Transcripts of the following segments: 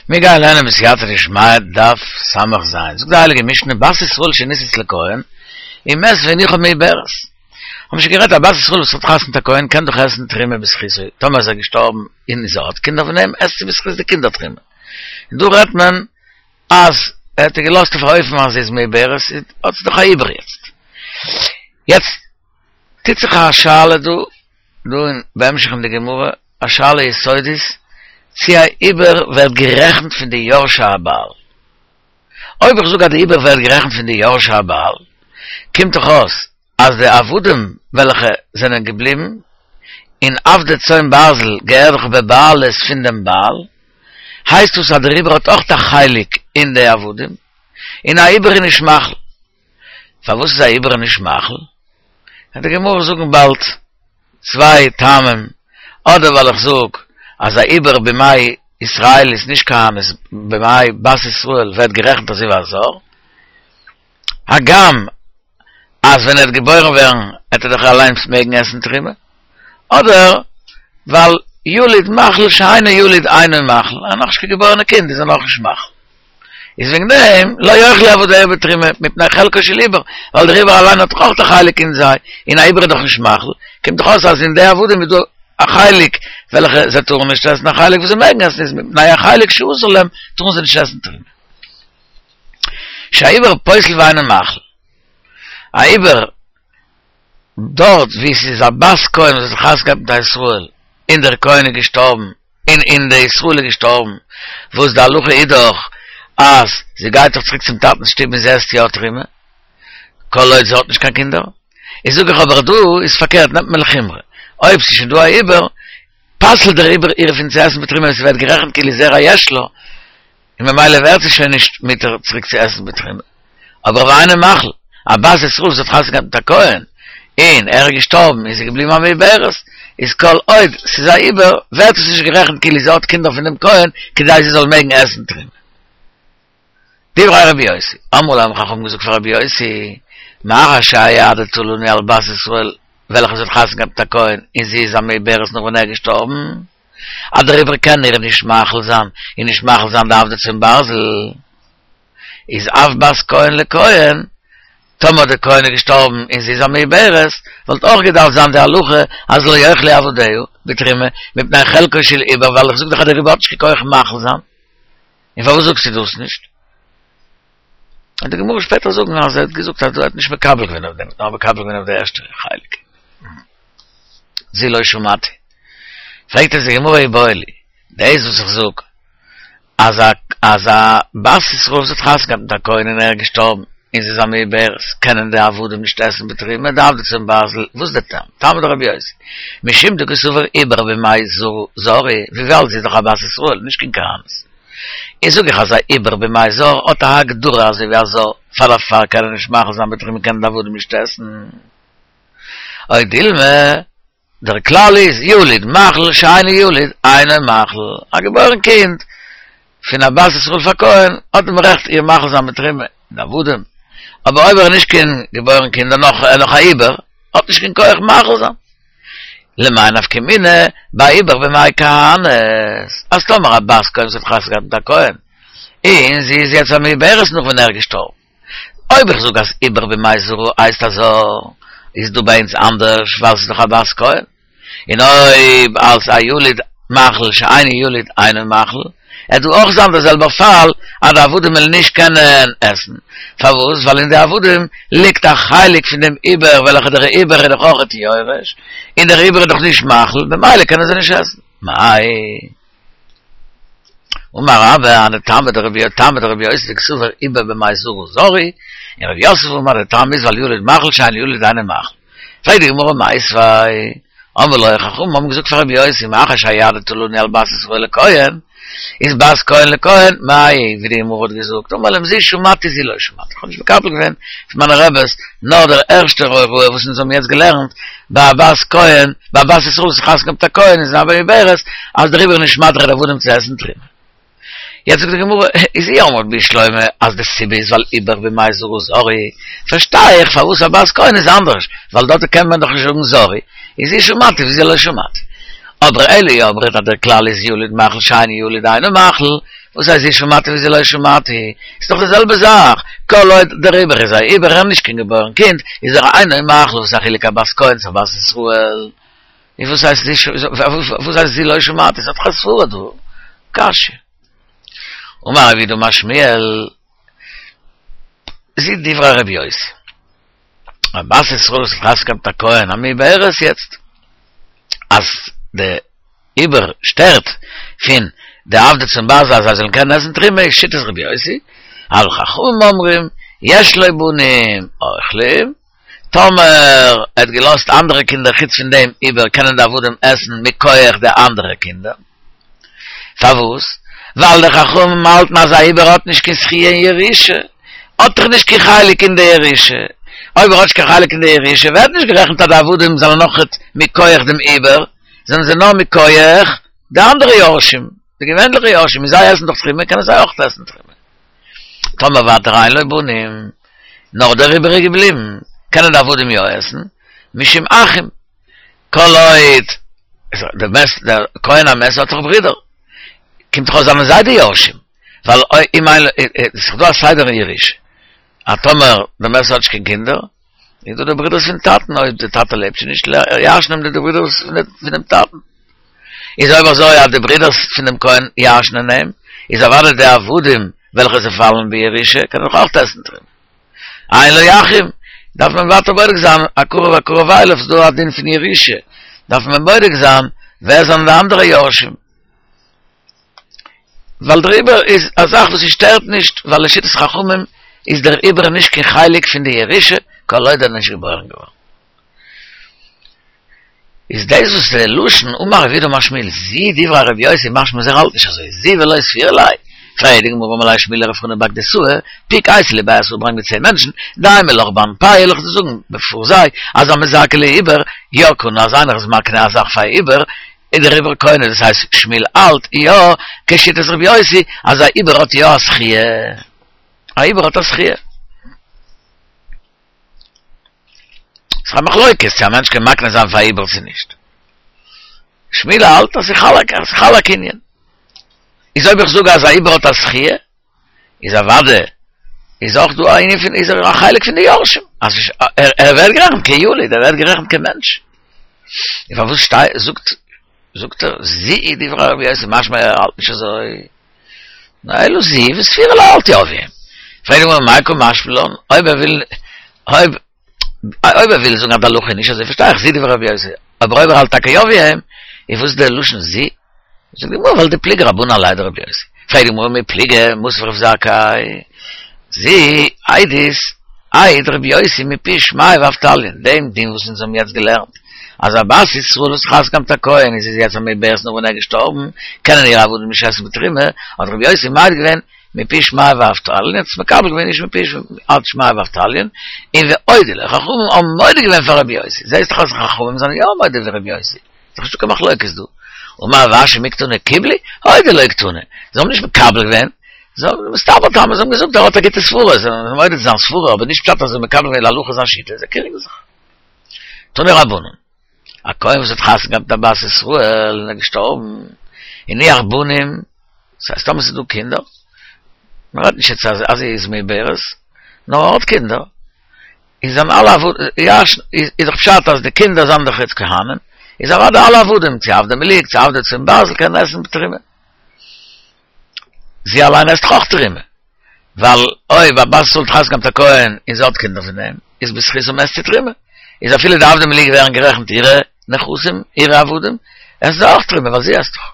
מיר גייען לערנען בסייעתא דשמיא דף ס"ז, זאגט די הייליגע משנה בת ישראל שנישאת לכהן ומת והניחה מעוברת. האבן שוין גערעדט א בת ישראל וואס האט חתונה מיט א כהן קען דאך עסן תרומה בזכותו, טאמער איז ער געשטארבן און זי האט קינדער פון אים עסט זי בזכות די קינדער תרומה. און דא רעדט מען אז ער האט איר געלאזט אויף א אופן אז זי איז מעוברת, האט זי דאך א עובר יעצט. יעצט טוט זיך א שאלה דא, דא אין בהמשך אין די גמרא, א שאלה יסודית, צי א עובר ווערט גערעכנט פון די יורשי הבעל. אויב איך זאג אז די עובר ווערט גערעכנט פון די יורשי הבעל, קומט דאך אויס אז די עבדים וועלכע זענען געבליבן און עבדי צאן ברזל געהערט דאך בבעלות פון דעם בעל, הייסט דאס אז דער עובר האט אויך א חלק אין די עבדים, און א עובר איז נישט מאכיל. פארוואס איז א עובר נישט מאכיל? וועט די גמרא זאגן באלד צוויי טעמים, אדער ווייל איך זאג אז א עובר במעי ישראלית נישט כהנת במעי בת ישראל ווערט גערעכנט אזוי ווי א זר, הגם אז ווען ער וועט געבוירן ווערן וועט ער דאך אליינס מעגן עסן תרומה, אדער ווייל יליד מאכיל שאינו יליד אינו מאכיל, א נאכנישט קיין געבוירענע קינד איז ער נאכנישט מאכיל. איז וועגן דעם לא יאכלו עבדיה בתרומה מפני חלקו של עובר, ווייל דער עובר אליין האט דאך אויך א חלק אין זיי, און א עובר איז דאך נישט מאכיל, קומט דאך אויס אז אין די עבדים איז דא א חלק וועלכע זיי טארן נישט עסן, א חלק וואס זיי מעגן עסן, איז מפני החלק שאסור להם טארן זיי נישט עסן תרומה. שהעובר פוסל ואינו מאכיל. א עובר דארט וואו ס'איז א בת כהן וואס האט חתונה געהאט מיט א ישראל און דער כהן איז געשטארבן און און די ישראל איז געשטארבן, וואס די הלכה איז דאך אז זי גייט דאך צוריק צום טאטנ'ס שטוב און זי עסט יא תרומה, כל עוד זי האט נישט קיין קינדער, איז זאג איך אבער דא איז פארקערט נעמט מען לחומרא, אויב ס'איז שוין דא א עובר, פסל'ט דער עובר איר פון צו עסן בתרומה און ס'ווערט גערעכנט כאילו זרע יש לה, און ממילא ווערט זי שוין נישט מותר צוריק צו עסן בתרומה. אבער ואינו מאכיל, א בת ישראל וואס האט חתונה געהאט מיט א כהן, און ער איז געשטארבן און זי איז געבליבן א מעוברת, איז כל עוד ס'איז א עובר, ווערט עס נישט גערעכנט כאילו זי האט קינדער פון דעם כהן, כדי זי זאל מעגן עסן תרומה. דברי רבי יוסי, אמרו לו האבן חכמים געזאגט פאר רבי יוסי, מאחר שהעדת לנו על בת ישראל וועלכע זי האט חתונה געהאט מיט א כהן און זי איז א מעוברת נאך ווען ער איז געשטארבן, אז דער עובר קען איר נישט מאכיל זיין און נישט מאכיל זיין די עבדי צאן ברזל, איז אף בת כהן לכהן, טאמער דער כהן איז געשטארבן און זי איז א מעוברת, וואלט אויך געדארפט זיין די הלכה אז לא יאכלו עבדיה בתרומה מפני חלקו של עובר ווייל איך זאג דאך אז דער עובר האט נישט קיין כח מאכיל זיין, און פארוואס זאגסטו דאס נישט? וועט די גמרא שפעטער זאגן אז ער האט געזאגט אז ער האט נישט מקבל געווען אויף דעם, נאר מקבל געווען אויף די ערשטע חלק. זו לא שמעתי. פרעגט עס די גמרא איבעיא להו, דאס וואס איך זאג אז א אז א בת ישראל וואס האט חתונה געהאט מיט א כהן און ער איז געשטארבן און זי איז א מעוברת קענען די עבדים נישט עסן בתרומה די עבדי צאן ברזל, וואס איז די טעם? טעמא דרבי יוסי, משום דקסבר עובר במעי זרה הוא, וויבאלד זי איז דאך א בת ישראל נישט קיין כהנת. און זאג איך אז א עובר במעי זר האט א הגדרה אזוי ווי א זר, פאר דערפאר קען ער נישט מאכיל זיין בתרומה קענען די עבדים נישט עסן. או דילמא, דער כלל איז יליד מאכיל שאינו יליד אינו מאכיל, א געבוירן קינד פון א בת ישראל פאר כהן האט דעם רעכט איר מאכיל זיין בתרומה, די עבדים, אבער אויב ער איז נישט קיין געבוירן קינד ער נאך ער נאך א עובר, האט נישט קיין כח מאכיל זיין. למאי נפקא מינה בעובר במעי כהנת, אז טאמער א בת כהן וואס האט חתונה געהאט מיט א כהן, און זי איז יעצט א מעוברת נאך ווען ער איז געשטארבן, אויב איך זאג אז עובר במעי זרה הייסט א זר, איז דא ביי אונז אנדערש ווייל ס'איז דאך א בת כהן. און אויב אלס א יליד מאכיל שאינו יליד אינו מאכיל, עט דא אויך זיין דער זעלבער פאל אז די עבדים וועלן נישט קענען עסן. פארוואס? ווייל אין די עבדים ליגט א חלק פון דעם עובר וועלכע דער עובר איז דאך אויכעט יורש, און דער עובר איז דאך נישט מאכיל, במילא קענען זיי נישט עסן. מאי. אמר רבה היינו טעמא דרבי טעמא דרבי יוסי דקסבר עובר במעי זרה זר הוא, און רב יוסף אמר די טעם איז ווייל יליד מאכיל שאינו יליד אינו מאכיל. פרעגט די גמרא מיתיבי, אמרו לו חכמים האבן געזאגט פאר רבי יוסי מאחר שהעדת לנו על בת ישראל לכהן, איז בת כהן לכהן, מאי ווי די גמרא האט געזאגט, אמר להם זו שמעתי זו לא שמעתי, איך האב נישט מקבל געווען פון מיינע רעבעס נאר דער ערשטער הוראה וואס אונז האבן יעצט געלערנט, ביי א בת כהן, ביי א בת ישראל וואס האט חתונה געהאט מיט א כהן און זי איז א מעוברת, אז דער עובר איז נישט מתיר די עבדים צו עסן תרומה. יעצט זאגט די גמרא, איז אי אמרת בשלמא אז די סיבה איז ווייל עובר במעי זרה זר הוא, פארשטיי איך פארוואס א בת כהן איז אנדערש, ווייל דארט קען מען דאך נישט זאגן זר הוא, איז זו שמעתי וזו לא שמעתי. אבער אלא אי אמרת אז דער כלל איז יליד מאכיל שאינו יליד אינו מאכיל, וואס הייסט זו שמעתי וזו לא שמעתי? ס'איז דאך די זעלבע זאך, כל עוד דער עובר איז א עובר ער איז נישט קיין געבוירן קינד, איז ער אינו מאכיל, וואס איז א חילוק א בת כהן צו א בת ישראל? און וואס הייסט זו וואס הייסט זו לא שמעתי? ס'האט דאך א סברא דא. קשיא. אמר רב יהודה אמר שמואל, זו דברי רבי יוסי. א בת ישראל וואס האט חתונה געהאט מיט א כהן א מעוברת יעצט אז די עובר שטערט פון די עבדי צאן ברזל אז זיי זאלן קענען עסן תרומה איז שיטת רבי יוסי, אבל חכמים אומרים יש לו בנים אוכלים, טאמער ער האט געלאזט אנדערע קינדער חוץ פון דעם עובר קענען די עבדים עסן מכח די אנדערע קינדער. פארוואס? ווייל די חכמים האלטן אז א עובר האט נישט קיין זכי' אין ירושה, האט דאך נישט קיין חלק אין די ירושה, אויב ער האט נישט קיין חלק אין די ירושה ווערט נישט גערעכנט אז די עבדים זענען אויכעט מכח דעם עובר, זענען זיי נאר מכח די אנדערע יורשים, די געווענליכע יורשים, און זיי עסן דאך תרומה קענען זיי אויך עסן תרומה. טאמער ווייטער אין לו בנים, נאר דער עובר איז געבליבן, קענען די עבדים יא עסן, משום אחים. כל עוד דער מת דער כהן המת האט דאך ברידער, קומט דאך אויס זענען זיי די יורשים, ווייל אם אין לו, ס'איז דא א סדר אין ירושה, אז טאמער דער מת האט נישט קיין קינדער, איז דא די ברידערס פון טאטן, אויב די טאטע לעבט שוין נישט, ירש'נען די ברידערס פונעם טאטן. איז אויב אזוי אז די ברידערס פון דעם כהן ירש'נען אים, איז אוודאי די עבדים וועלכע זיי פאלן בירושה קענען דאך אויך עסן תרומה. אין לו אחים, דארף מען ווייטער בודק זיין הקרוב הקרוב אליו, ס'איז דא א דין פון ירושה, דארף מען בודק זיין ווער זענען די אנדערע יורשים. ווייל דער עובר איז א זאך וואס ס'שטערט נישט, ווייל לשיטת חכמים איז דער עובר נישט קיין חלק פון די ירושה, כל עוד ער איז נישט געבוירן געווארן. איז דאס וואס די לשון אמר רב יהודה אמר שמואל זו דברי רבי יוסי משמע אז ער האלט נישט אזוי זו ולא סבירא ליה פרעגט די גמרא אמר ליה שמואל לרב חנא בר גדסאי פוק אייתי לי בי עשרה ברענג מיר צען מענטשן דאימא לך באנפייהו וועל איך דיר זאגן בעפאר זיי אז המזכה לעובר יא קנה אז איינער איז מקנה א זאך פאר עובר איז דער עובר קונה דאס הייסט שמואל האלט יא כשיטת רבי יוסי אז א עובר האט יא א זכיה א עובר האט א זכיה. ס'איז א מחלוקת צו א מענטש קען מקנה זיין פאר א עובר צו נישט. שמואל האלט אז ס'איז חל א קנין. איז אויב איך זאג אז א עובר האט א זכיה, איז אוודאי איז אויך דא א ענין פון איז ער א חלק פון די יורשים. אז ער ווערט גערעכנט כיליד, ער ווערט גערעכנט כמענטש. און פארוואס שטיי זאגט זאגט ער זו דברי רבי יוסי משמע ער האלט נישט אזוי. נאר אלא זו וסבירא ליה האלט יא ווי אים. פרעגט די גמרא מאי קא משמע לן, אויב ער וויל אויב אויב ער וויל זאגן אז די הלכה איז נישט אזוי פארשטיי איך זו דברי רבי יוסי, אבער אויב ער האלט טאקע יא ווי אים, איז וואס דער לשון זו? זאגט די גמרא ווייל דפליגי רבנן עליה דרבי יוסי. פרעגט די גמרא מי פליגי, מתיב רב זכאי, זו עדות העיד רבי יוסי מפי שמעיה ואבטליון, דעם דין וואס אונז האבן יעצט געלערנט, אז א בת ישראל וואס חתונה געהאט מיט א כהן און זי איז יעצט א מעוברת נאך ווען ער איז געשטארבן, קענען אירע עבדים נישט עסן בתרומה, האט רבי יוסי מעיד געווען מפי שמעיה ואבטליון, האט עס מקבל געווען איש מפי שמעיה ואבטליון, און והודו לו, חכמים האבן מודה געווען פאר רבי יוסי, זעהסט דאך אז חכמים זענען יא מודה ווי רבי יוסי, איז דאך נישטא קיין מחלוקת דא. אמר רב אשי מי קתני קיבלו, הודו לו קתני, זיי האבן נישט מקבל געווען, זיי האבן מסתבר טעמא, זיי האבן געזאגט ער האט א גוטע סברה, זיי זענען מודה צו זיין סברה, אבער נישט פשט אז זיי האבן מקבל געווען להלכה זיין שיטה, זיי קריגן זיך. תנו רבנן, א כהן וואס האט חתונה געהאט מיט א בת ישראל און איז געשטארבן, הניח בנים, דאס הייסט טאמער ס'איז דא קינדער, מען רעדט נישט יעצט אז זי איז מעוברת, נאר ער האט קינדער, איז זענען אלע עבדים, איז דאך פשט אז די קינדער זענען דאך יעצט כהנים, איז אוודאי אלע עבדים, צו עבדי מילוג, צו עבדי צאן ברזל קענען עסן תרומה. זי אליין עסט דאך אויך תרומה, ווייל אויב א בת ישראל האט חתונה געהאט מיט א כהן און זי האט קינדער פון אים, איז בזכותם עסט זי תרומה, איז אפילו די עבדי מילוג ווערן גערעכנט אירע נכסים, אירע עבדים, עסן זיי אויך תרומה ווייל זי עסט דאך.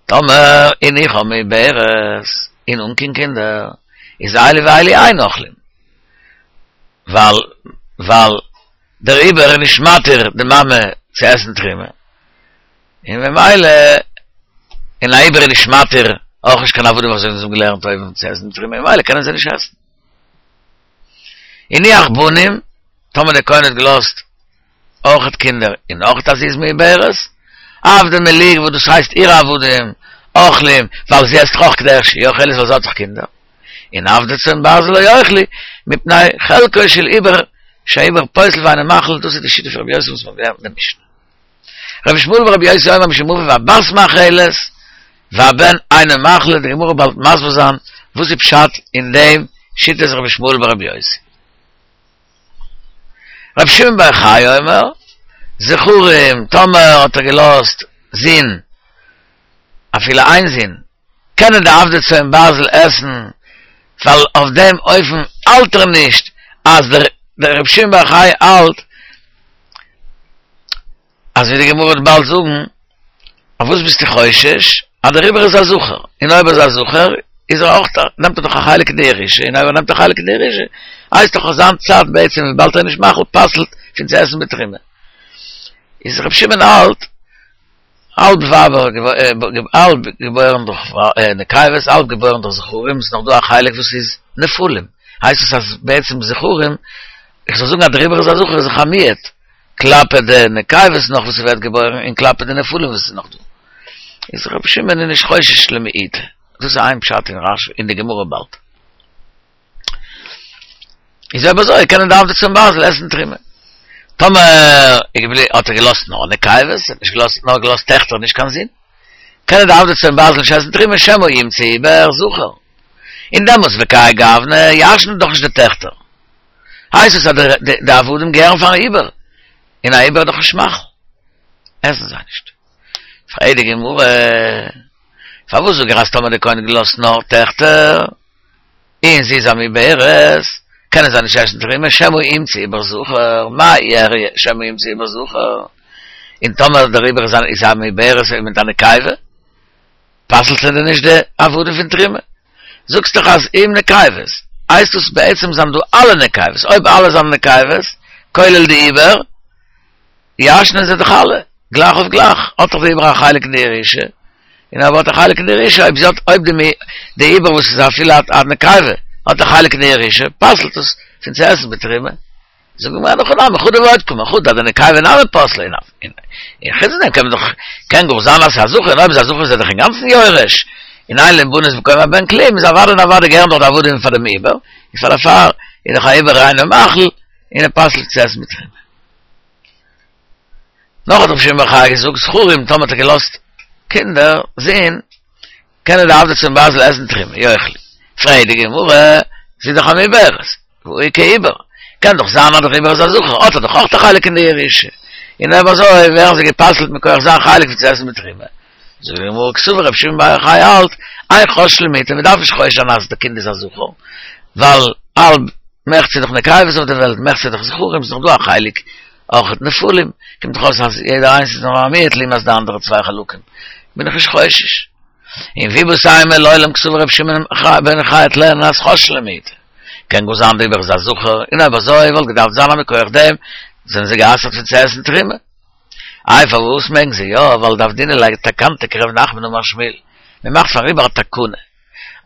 טאמער הניחה מעוברת און אן קיין קינדער, איז אלו ואלו אין אוכלים, ווייל ווייל דער עובר איז נישט מתיר די מאמע צו עסן תרומה, און ממילא און א עובר איז נישט מתיר אויך נישט קיין עבדים אזוי ווי אונז האבן געלערנט אויבן צו עסן תרומה ממילא קענען זיי נישט עסן. הניח בנים, טאמער דער כהן האט געלאזט אויכעט קינדער און אויכעט אז זי איז מעוברת, עבדי מילוג וואס דאס הייסט אירע עבדים אוכלים ווייל זי עסט דאך אויך כדרך שהיא אוכלת ווייל זי האט דאך קינדער, און עבדי צאן ברזל לא יאכלו מפני חלקו של עובר שהעובר פוסל ואינו מאכיל דאס איז די שיטה פון רבי יוסי וואס מ'האט געלערנט אין די משנה. רבי ישמעאל ברבי יוסי אומר משום אביו הבת מאכלת. והבן אינו מחיל, די גמרא באלד מסביר זיין וואס איז פשט אין דעם שיטת רבי ישמעאל ברבי יוסי. רבי שמעון בר יוחאי אומר, זכרים, טאמער האט ער געלאזט זין, אפילו איין זון, קענען די עבדי צאן ברזל עסן, ווייל אויף דעם אופן האלט ער נישט אז דער רבי שמעון בר יוחאי האלט אז ווי די גמרא וועט באלד זאגן, אויף וואס ביסטו חושש? אז דער עובר איז א זכר, און אויב ער איז א זכר איז ער אויך נעמט ער דאך א חלק אין די ירושה, און אויב ער נעמט א חלק אין די ירושה הייסט דאך אויף זיין צד בעצם וויבאלד ער איז נישט מחיל פסל'ט פון צו עסן בתרומה. איז רבי שמעון האלט האלב ווייבער האלב געבוירן דורך נקבות האלב געבוירן דורך זכרים, ס'איז נאך דא א חלק וואס איז נפלים, הייסט עס אז בעצם זכרים, איך זאל זאגן אז דער עובר איז א זכר איז דאך א מיעוט, כלפי די נקבות נאך וואס ס'ווערט געבוירן און כלפי די נפלים וואס איז נאך דא. איז רבי שמעון איז נישט חושש למיעוט. דאס איז איין פשט אין רש"י אין די גמרא באלד. איז אויב אזוי קענען די עבדי צאן ברזל עסן תרומה. טאמער האט ער געלאזט נאר נקבות, ער האט נישט געלאזט נאר געלאזט טעכטער נישט קיין זין, קענען די עבדי צאן ברזל נישט עסן תרומה שמא ימצא עובר זכר. און דעמאלטס וכהאי גוונא ירש'נען דאך נישט די טעכטער. הייסט עס אז די עבדים געהערן פארן עובר, און א עובר איז דאך נישט מחיל, עסן זיי נישט. פרעגט די גמרא, פארוואס זאג איך אז טאמער די כהן האט געלאזט נאר טעכטער, און זי איז א מעוברת, קענען זיי נישט עסן תרומה, שמא ימצא עובר זכר, מאי איריא שמא ימצא עובר זכר, און טאמער דער עובר איז א מעוברת מיט א נקבה, פסל'ט ער דען נישט די עבדים פון תרומה? זאגסט דאך אז אם נקבות, הייסט דאס בעצם זענען דא אלע נקבות, אויב אלע זענען נקבות, כולל די עובר, ירש'נען זיי דאך אלע, גלייך אויף גלייך, האט דאך די עובר א חלק אין די ירושה, און אויב האט א חלק אין די ירושה, אויב זי האט, אויב די די עובר וואס איז אפילו א נקבה, האט א חלק אין די ירושה, פסל'ט עס פון צו עסן בתרומה. זאגט די גמרא אין הכי נמי, חדא ועוד קאמר, חדא דנקבה נמי פסלה און און חוץ דעם קען מען דאך קען גאר זיין אז ס'איז א זכר און אויב איז א זכר איז ער דאך אינגאנצן יורש און אין להם בנות במקום הבן כלום איז אוודאי און אוודאי געהערן דאך די עבדים פאר דעם עובר איז פאר דערפאר איז דאך א עובר אינו מחיל און ער פסל'ט צו עסן בתרומה. נאך האט רבי שמעון בר יוחאי געזאגט זכרים טאמער האט ער געלאזט קינדער זין קענען די עבדי צאן ברזל עסן תרומה, יאכלו. פרעגט די גמרא, זי איז דאך א מעוברת, והא איכא עובר, קען דאך זיין אז דער עובר איז א זכר, האט ער דאך אויך א חלק אין די ירושה, און אויב אזוי ווערן זיי גע'פסל'ט מכח זיין חלק פון צו עסן בתרומה. זאגט די גמרא, קסבר רבי שמעון בר יוחאי האלט, אין חוששין למיעוטא, מען דארף נישט חושש זיין אז די קינד איז א זכר, ווייל האלב מחצה איז דאך נקבות אויף די וועלט, מחצה איז דאך זכרים, ס'איז דאך דא א חלק אויך נפלים, קומט דאך אויס אז יעדער איינס איז נאר א מיעוט לעומת די אנדערע צוויי חלקים, בין איך נישט חושש. און ואיבעית אימא לעולם קסבר רבי שמעון בן יוחאי וועט לערנען אז חוששין למיעוטא. קען גאר זיין די עובר איז א זכר, און אויב אזוי וואלט געדארפט זיין אז מכח דעם זענען זיי גע'אסר'ט פון צו עסן תרומה. איי פארוואס מעגן זיי יא, ווייל דעבדינן ליה תקנתא כרב נחמן אמר שמואל, מען מאכט פארן עובר א תקנה,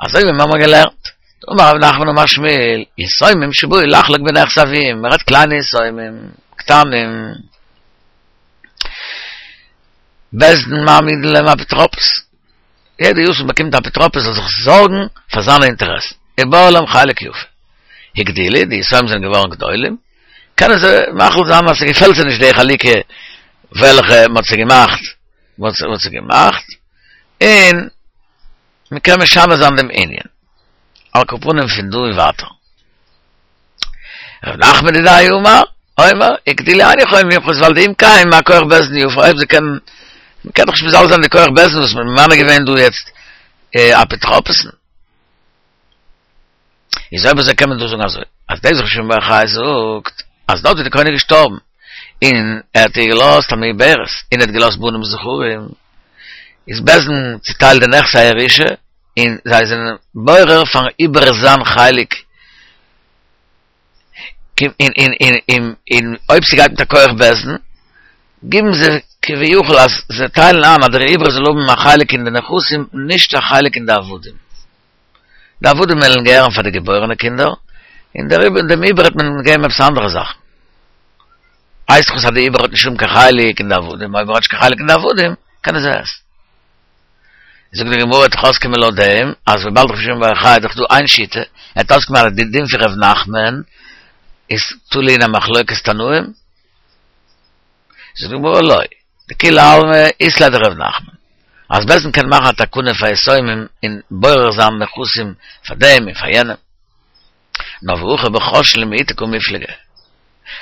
אזוי ווי מיר האבן געלערנט, דאמר רב נחמן אמר שמואל, יתומים שבאו לחלוק בנכסי אביהם, מען רעדט קליינע יתומים, קטנים, בית דין מעמידין להם אפוטרופוס, יעדע יתום באקומט א אפוטרופוס זאל זיך זארגן פאר זיינע אינטערעסן, ובעי להם חלק יפה. הגדילו, די יתומים זענען געווארן גדולים, קענען זיי מחליט זיין אז ס'געפעלט זיי נישט די חלוקה וועלכע מ'האט זיי געמאכט, מ'האט זיי געמאכט, און מ'קען משנה זיין דעם ענין. על כל פנים פון דא און ווייטער. ר' נחמן דידיה אמר, אומר, הגדילו אין יכולים למחות ווייל דאם כן מה כח בית דין יפה, אויב זיי קענען, מ'קען דאך נישט מזלזל זיין די כח בית דין וואס מ'האט ממנה געווען דא יעצט אפוטרופוסן. איז אויב אזוי קען מען דא זאגן אזוי, אז דאס וואס ר' שמעון בר יוחאי זאגט, אז דארט ווי די כהן איז געשטארבן, און ער האט איר געלאזט א מעוברת, און ער האט געלאזט בנים זכרים, איז בית דין צוטיילט די נכסי הירושה, און זיי זענען בורר פארן עובר זיין חלק, און אויב ס'גייט מיט א כח בית דין, גיבן זיי כביכול אז זיי טיילן איין אז דער עובר זאל האבן א חלק אין די נכסים, נישט א חלק אין די עבדים. די עבדים וועלן געהערן פאר די געבוירענע קינדער, און דער עובר, דעם עובר וועט מען געבן עפעס אנדערע זאכן. הייסט דאך אז די עובר האט נישט שום קיין חלק אין די עבדים, אויב ער האט נישט קיין חלק אין די עבדים, קען ער זיי עסן. זאגט די גמרא וועט דאך אויסקומען לויט דעם, אז וויבאלד רבי שמעון בר יוחאי איז דאך דא איין שיטה, וועט אויסקומען אז די דין פון ר' נחמן איז תלוי אין א מחלוקת תנאים. זאגט די גמרא לא, דכולי עלמא אית ליה דר' נחמן. אז בית דין קען מאכן א תקנה פאר יתומים און בורר זיין נכסים פאר דעם און פאר יענעם. נאר והכא בחוששין למעוטי קמיפלגי.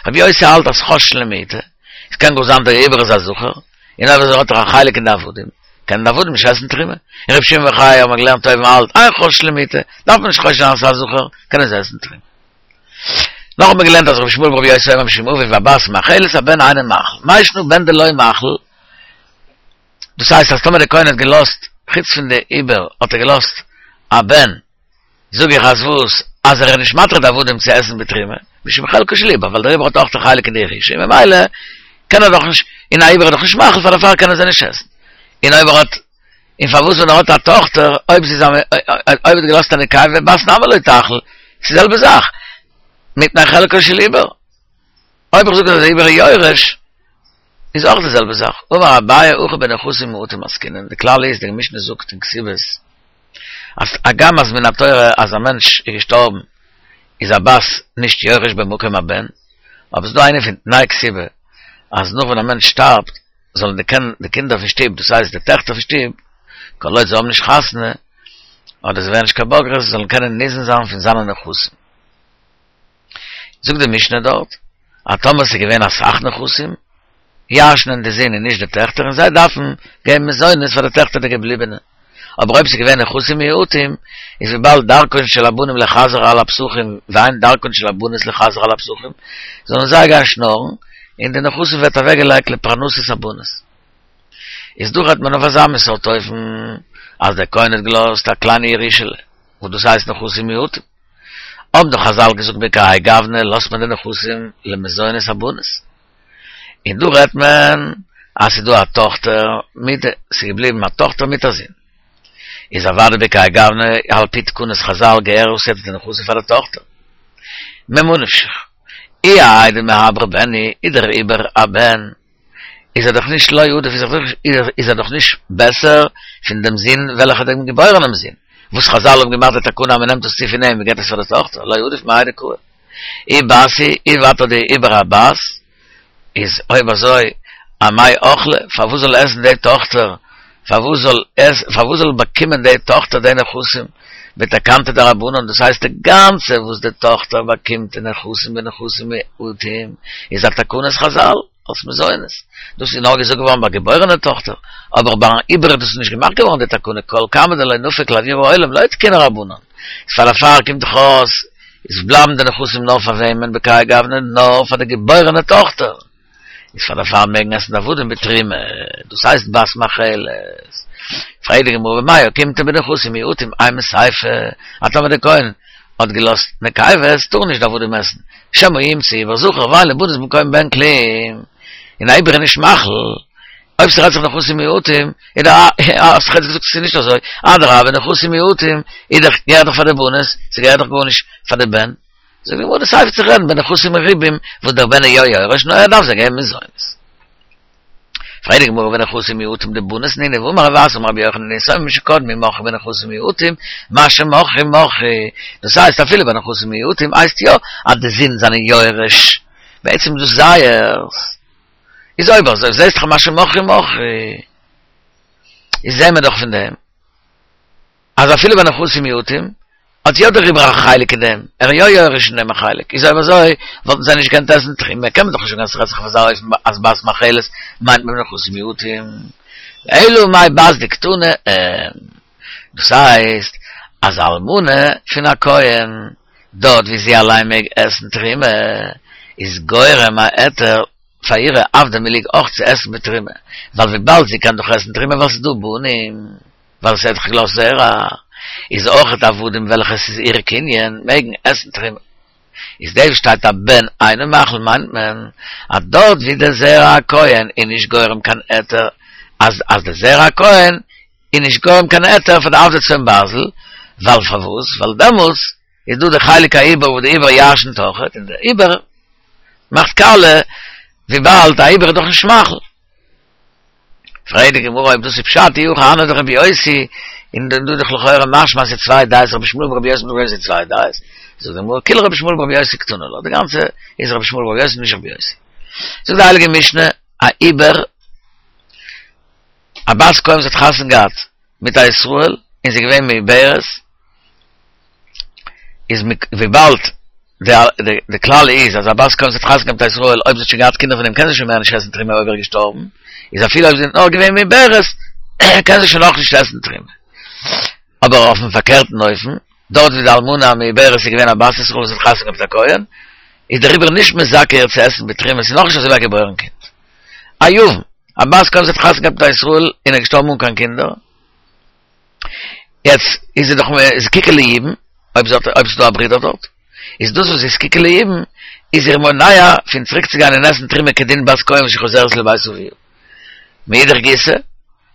רבי יוסי האלט אז חוששין למעוטי, עס קען גאר זיין דער עובר איז א זכר, און אויב אזוי האט ער א חלק אין די עבדים, קענען די עבדים נישט עסן תרומה. און רבי שמעון בר יוחאי האבן מיר געלערנט אויבן האלט אין חוששין למעוטי, דארף מען נישט חושש זיין אז עס איז א זכר, קענען זיי עסן תרומה. נאך האבן מיר געלערנט אז רבי ישמעאל ברבי יוסי אומר משום אביו הבת מאכלת הבן אינו מאכיל, מאי שנא בן דלא מאכיל, דאס הייסט אז טאמער דער כהן האט געלאזט, חוץ פון די עובר האט ער געלאזט א בן, זאג איך אז וואס? אז ער איז נישט מתיר די עבדים צו עסן בתרומה, משום חלקו של עובר, ווייל דער עובר האט אויך א חלק אין די ירושה, און ממילא קען ער דאך נישט, און א עובר איז דאך נישט מאכיל פאר דערפאר קענען זיי נישט עסן. און אויב ער האט, און פארוואס ווען ער האט א טאכטער, אויב זי איז א, אויב ער האט געלאזט א נקבה, בת נמי לא תאכיל, ס'איז די זעלבע זאך, מפני חלקו של עובר. אויב איך זאג אז דער עובר איז יורש, איז אויך די זעלבע זאך. אמר אביי הכא בנכסים מועטים עסקינן, די כלל איז, די משנה זאגט אין כתובות, אז הגם אז מן התורה אז א מענטש איז געשטארבן איז א בת נישט יורש במקום הבן, אבער ס'איז דא איינע פון תנאי כתובה אז נאך ווען א מענטש שטארבט זאלן די די קינדער פון שטוב דאס הייסט די טעכטער פון שטוב כל עוד זיי האבן נישט חתונה אדער זיי ווערן נישט קיין בוגרות זאלן קענען ניזון זיין פון זיינע נכסים. זאגט די משנה דארט אז טאמער ס'איז געווען אסאך נכסים, ירש'נען די זין און נישט די טעכטער און זיי דארפן געבן מזונות פאר די טעכטער די געבליבענע. אבער אויב ס'איז געווען נכסים מועטים, איז וויבאלד דרכן של הבנים לחזר על הפתחים ואין דרכן של הבנות לחזר על הפתחים, זאלן זיי גיין שנארן, און די נכסים ווערט אוועקגעלייגט לפרנסת הבנות. איז דא רעדט מען אויף אזא מין סארט אופן אז דער כהן האט געלאזט א קליינע ירושה'לע, וואס דאס הייסט נכסים מועטים. האבן דאך חזל געזאגט בכהאי גוונא לאזט מען די נכסים למזונות הבנות. און דא רעדט מען אז ס'איז דא א טאכטער מיט די, ס'איז געבליבן א טאכטער מיט א זון. איז אוודאי בכהאי גוונא על פי תקנות חזל געהער אויסצוהיפן די נכסים פאר די טאכטער. ממה נפשך. אי האי דמעברא בן הוא, איז דער עובר א בן, איז ער דאך נישט לא עדיף איז ער דאך נישט בעסער פון דעם זון וועלכער דעם געבוירענעם זון וואס חזל האבן געמאכט די תקנה אז מען נעמט עס צו פון אים און געבט עס פאר די טאכטער לא עדיף מהאי דקאי אי בת היא אי ווייטער די עובר א בת איז אויב אזוי אמאי אכלה פארוואס זאל עסן די טאכטער פארוואס זאל עס פארוואס זאל באקומען די טאכטער די נכסים בתקנתא דרבנן דאס הייסט די גאנצע וואס די טאכטער באקומט אין נכסים בנכסים מועטים איז א תקנת חזל אלס מזונות דאס איז נאר געזאגט געווארן ביי געבוירענע טאכטער אבער ביי אן עובר איז דאס נישט געמאכט געווארן די תקנה כל כמה דלא נפיק לאויר העולם לא תקינו רבנן איז פאר דערפאר קומט דאך אויס איז בלייבן די נכסים נאר פאר וועמען בכהאי גוונא נאר פאר די געבוירענע טאכטער. איז פאר דערפאר מעגן עסן די עבדים בתרומה, דאס הייסט בת מאכלת. פרעגט די גמרא ומאי אוקימתא בנכסים מועטים אימא סיפא, אז טאמער דער כהן האט געלאזט נקבות טארן נישט די עבדים עסן, שמא ימצא עובר זכר ואין לבנות במקום בן כלום, און א עובר איז נישט מאכיל, אויב ס'רעדט זיך נכסים מועטים, איז דאך האסט דאך יעצט געזאגט ס'איז נישט אזוי, אדרבה נכסים מועטים איז דאך געהערט דאך פאר די בנות, ס'געהערט דאך גארנישט פאר די בן. זאגט די גמרא די סיפא צו רעדן בנכסים מרובים וואס דער בן איז יא יורש נאר ער דארף זיי געבן מזונות. פרעגט די גמרא ונכסים מועטים דבנות נינהו והאמר רב אסי אמר רבי יוחנן יתומים שקדמו מחו בנכסים מועטים מה שמחו מחו דאס הייסט אפילו בנכסים מועטים הייסט יא אז די זין זענען יורש בעצם איז דאס זייערס איז אויב אזוי זעסט דאך מה שמחו מחו איז זעהן מיר דאך פון דעם אז אפילו ביי נכסים מועטים, האט יא דער עובר א חלק אין דעם, ער איז יא יורש אין דעם א חלק, איז אויב אזוי וואלטן זיי נישט געקענט עסן תרומה, קען מען דאך נישט זאגן אז ס'רעדט זיך אויף אזא אופן אז בת מאכלת מיינט מען נכסים מועטים, אלא מאי בת דקתני אין, דאס הייסט אז א אלמנה פון א כהן, דארט ווי זי אליין מעג עסן תרומה, איז גורם א היתר פאר אירע עבדי מילוג אויך צו עסן בתרומה, ווייל וויבאלד זי קען דאך עסן תרומה ווייל ס'איז דא בנים. ווייל זי האט דאך געלאזט זרע, איז אויכעט עבדים וועלכע עס איז איר קנין מעגן עסן תרומה. איז דאס וואס שטייט א בן אינו מאכיל מיינט מען אז דארט ווי דער זרע הכהן איז נישט גורם קיין היתר אז אז דער זרע הכהן איז נישט גורם קיין היתר פאר די עבדי צאן ברזל, ווייל פארוואס ווייל דעמאלטס איז דא די חלק העובר וואס די עובר ירשנ'ט אויכעט און די עובר מאכט קאליע וויבאלד א עובר איז דאך נישט מאכיל. פרעגט די גמרא אויב דאס איז פשט אי הכי הני דרבי יוסי, און דא איז דאך לכאורה משמע אז ס'איז צוויי דעות רבי ישמעאל ברבי יוסי ברבי יוסי צוויי דעות, זאגט די גמרא כולה רבי ישמעאל ברבי יוסי קתני לה, די גאנצע איז רבי ישמעאל ברבי יוסי נישט רבי יוסי. זאגט די הייליגע משנה א עובר. א בת כהן וואס האט חתונה געהאט מיט א ישראל און זי איז געווען מעוברת, איז וויבאלד די כלל איז אז א בת כהן וואס האט חתונה געהאט מיט א ישראל אויב זי האט שוין געהאט קינדער פון אים קען זי שוין מער נישט עסן תרומה אויב ער איז געשטארבן, איז אפילו אויב זי איז נאר געווען מעוברת קען זי שוין נאכנישט עסן תרומה. אבער אויפן פארקערטן אופן, דארט ווי די אלמנה המעוברת איז געווען א בת ישראל וואס האט חתונה געהאט מיט א כהן, איז דעריבער נישט מזכה איר צו עסן בתרומה, ס'איז נאכנישט אזוי ווי א געבוירן קינד. א יבם, א בת כהן וואס האט חתונה געהאט מיט א ישראל און איז געשטארבן אן קיין קינדער, יעצט איז זי דאך זקוקה ליבום, אויב זי האט, אויב ס'איז דא א ברודער דארט, איז דאס וואס זי איז זקוקה ליבום, איז איר מונע פון צוריק צו גיין און עסן תרומה כדין בת כהן שחוזרת לבית אביה. מאידך גיסא,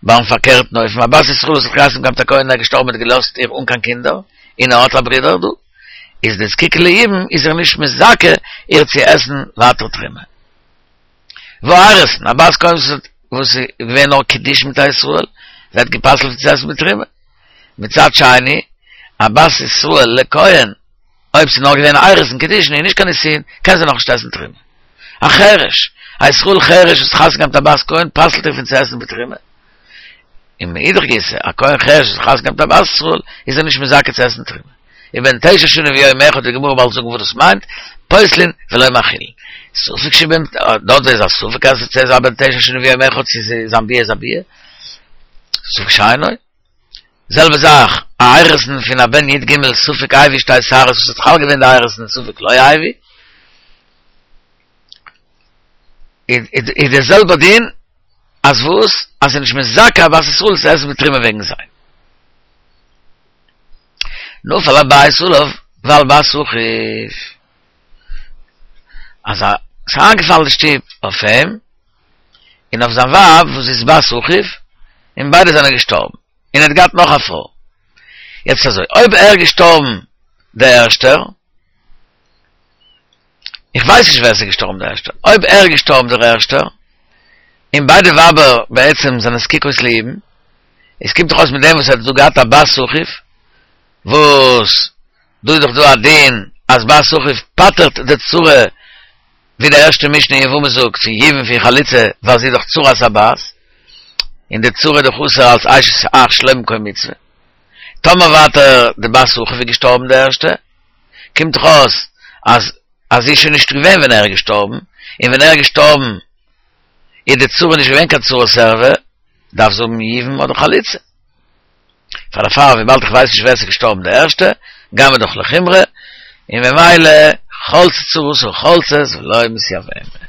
ביים פארקערטן אופן, א בת ישראל וואס האט חתונה געהאט מיט א כהן און ער איז געשטארבן און האט געלאזט איר אן קיין קינדער, און ער האט א ברודער דא, איז די זקוקה ליבום איז איר נישט מזכה איר צו עסן ווייטער תרומה. והאירוסין, א בת כהן וואס איז געווען נאר קידושין מיט א ישראל, ווערט גע'פסל'ט צו עסן בתרומה. מצד שני, א בת ישראל לכהן, אויב ס'איז נאר געווען אירוסין קידושין און נישט קיין נישואין, קען זי נאכנישט עסן תרומה. א חרש, א ישראל חרש וואס חתונה געהאט מיט א בת כהן, פסל'ט איר פון צו עסן בתרומה. און מאידך גיסא, א כהן חרש וואס חתונה געהאט מיט א בת ישראל, איז ער נישט מזכה צו עסן תרומה. ובן תשע שנים ויום אחד, די גמרא באלד זאגן וואס דאס מיינט, פוסלין ולא מאכילין. ספק שבן, דארט איז א ספק אז עס איז א בן תשע שנים ויום אחד צו זיין ביאה איז א ביאה. ספק שאינו. זעלבע זאך, א אירוסין פון א בן י ג ספק הביא שתי שערות וואס האט חל געווען די אירוסין ספק לא הביא. איז דער זעלבער דין אז וואס? אז ס'איז נישט מזכה א בת ישראל צו עסן בתרומה וועגן זיי. נפל הבית עליו ועל בת אחיו. אז ס'איז איינגעפאלן די שטוב אויף אים און אויף זיין ווייב וואס איז בת אחיו, און ביידע זענען געשטארבן. און ער האט געהאט נאך א פרוי. יעצט אזוי, אויב ער איז געשטארבן דער ערשטער, איך ווייס נישט ווער עס איז געשטארבן דער ערשטער, אויב ער איז געשטארבן דער ערשטער, און ביידע ווייבער בעצם זענען זקוקות ליבום, עס קומט דאך אויס מיט דעם וואס ער האט דא געהאט א בת אחיו, וואס דא איז דאך דא א דין אז בת אחיו פטר'ט די צרה, ווי די ערשטע משנה אין יבמות זאגט, פון יבום פון חליצה, ווייל זי איז דאך צרת הבת, און די צרה איז דאך אסור אלס אשת אח שלא במקום מצוה. טאמער ווייטער די בת אחיו איז געשטארבן די ערשטע, קומט דאך אויס אז אז זי איז שוין נישט געווען ווען ער איז געשטארבן, און ווען ער איז געשטארבן איז די צרה נישט געווען קיין צרת ערווה, דארף זי האבן יבום אדער חליצה. פאר דערפאר וויבאלד איך ווייס נישט ווער ס'איז געשטארבן די ערשטע, גייען מיר דאך לחומרא, און ממילא חלצה צרתה חולצת ולא מתייבמת.